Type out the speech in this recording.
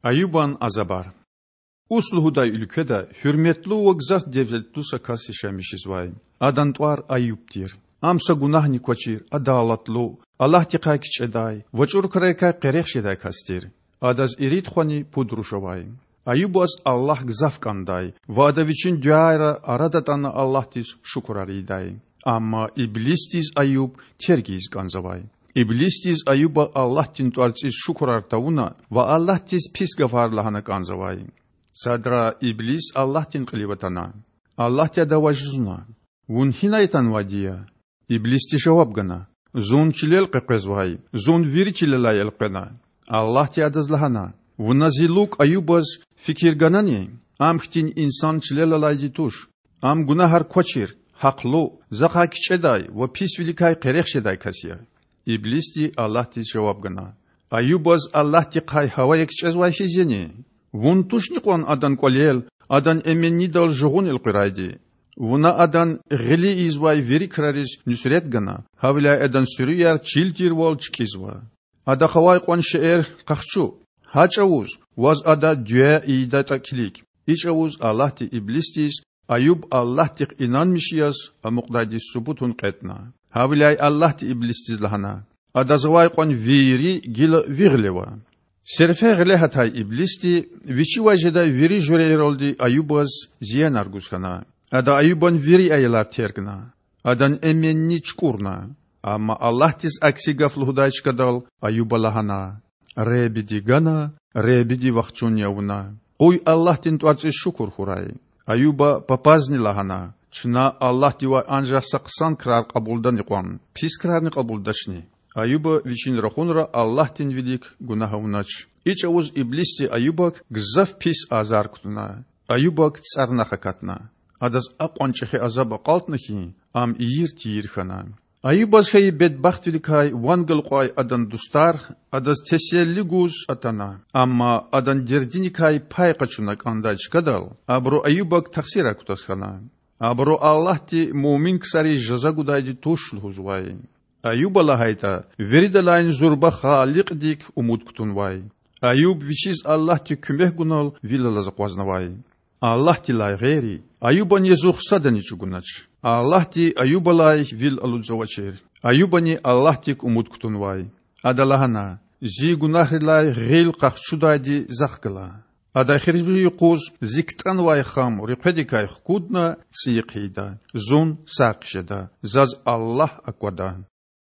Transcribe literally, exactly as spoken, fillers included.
Аюбан азабар. Ус лугьудай уьлкведа гьуьрметлу ва гзаф девлетлу са кас яшамиш жезвай. Адан тӀвар Аюб тир. Ам са гунагьни квачир, адалатлу, Аллагьдихъай кичӀедай ва чӀуру крарикай къерех жедай кас тир. Адаз ирид хвани пуд руш авай. Аюбаз Аллагь гзаф кӀандай ва ада вичин дуьайра ара датӀана Аллагьдиз шукурар ийидай. Амма Иблисдиз Аюб терг ийиз кӀанзавай. Иблисдиз Аюба Аллагьдин тӀварцӀиз шукурар тавуна ва Аллагьдиз пис гафар лагьана кӀанзавай. Садра Иблис Аллагьдин кьилив атана. Аллагьди адавай жузуна: Вун гьинай атанвайди я? Иблисди жаваб гана: Зун чилел къекъвезвай, зун вири чилелай элкъвена. Аллагьди адаз лагьана: Вуна Зи лукӀ Аюбаз фикир ганани? Ам хьтин инсан чилел алайди туш. Ам гунагьар квачир, гьахълу, Захъай кичӀедай ва писвиликай къерех жедай кас я. Иблисди Аллагьдиз жаваб гана: Аюбаз Аллагьдихъай гьавая кичӀезвай хьиз яни? Вун тушни кьван адан кӀвалел, адан эменнидал жугъун элкъуьрайди? Вуна адан гъили ийизвай вири крариз нуьсрет гана, гьавиляй адан суьруьяр чил тирвал чкӀизва. Адахъ авай кьван шейэр къахчу. Гьа чӀавуз ваз ада дуьа ийидатӀа килиг. И чӀавуз Аллагьди Иблисдиз Аюб Аллагьдихъ инанмиш яз амукьдайди субутун кьетӀна. Гьавиляй Аллагьди Иблисдиз лагьана: Адаз авай кьван вири гила ви гъилева. Серфе гъиле гьатай Иблисди вичивай жедай вири жуьрейралди Аюбаз зиянар гуз хьана. Ада Аюбан вири аялар тергна. Адан эменни чукӀурна. Амма Аллагьдиз акси гаф лугьудай чкадал Аюба лагьана: Худади гана, Худади вахчун я вуна. Къуй Аллагьдин тӀварцӀиз шукур хьурай. Аюба папазни лагьана: Чна Аллагьдивай анжах са хъсан крар кьабулдани кьван, пис крарни кьабулдачни? Аюба вичин рахунра Аллагьдин вилик гунагь авунач. И чӀавуз Иблисди Аюбак гзаф пис азар кутуна. Аюбак цӀарнах акатна. Адаз акьван чӀехи азаб акьалтна хьи, ам ийир-тийир хьана. Аюбаз хьайи бедбахтвиликай ван галукьай адан дустар адаз теселли гуз атана, амма адан дердиникай пай къачуна кӀандай чкадал абуру Аюбак тахсирар кутаз хьана. Абуру Аллагьди муъмин ксариз жаза гудайди туш лугьузвай. Аюба, лагьайтӀа, виридалайни зурба Халикьдик умуд кутунвай. Аюб вичиз Аллагьди куьмек гунал вил алаз акъвазнавай. Аллагьдилай гъейри Аюбан язух садани чӀугунач. Аллагьди Аюбалай вил алудзавачир. Аюбани Аллагьдик умуд кутунвай. Ада лагьана: Зи гунагьрилай гъил къахчудайди Захъ гала. Ада эхиримжи юкъуз зи ктӀанвай хам руьхъведикай хкудна цӀийи хъийида. Зун сагъ хъжеда. Заз Аллагь аквада.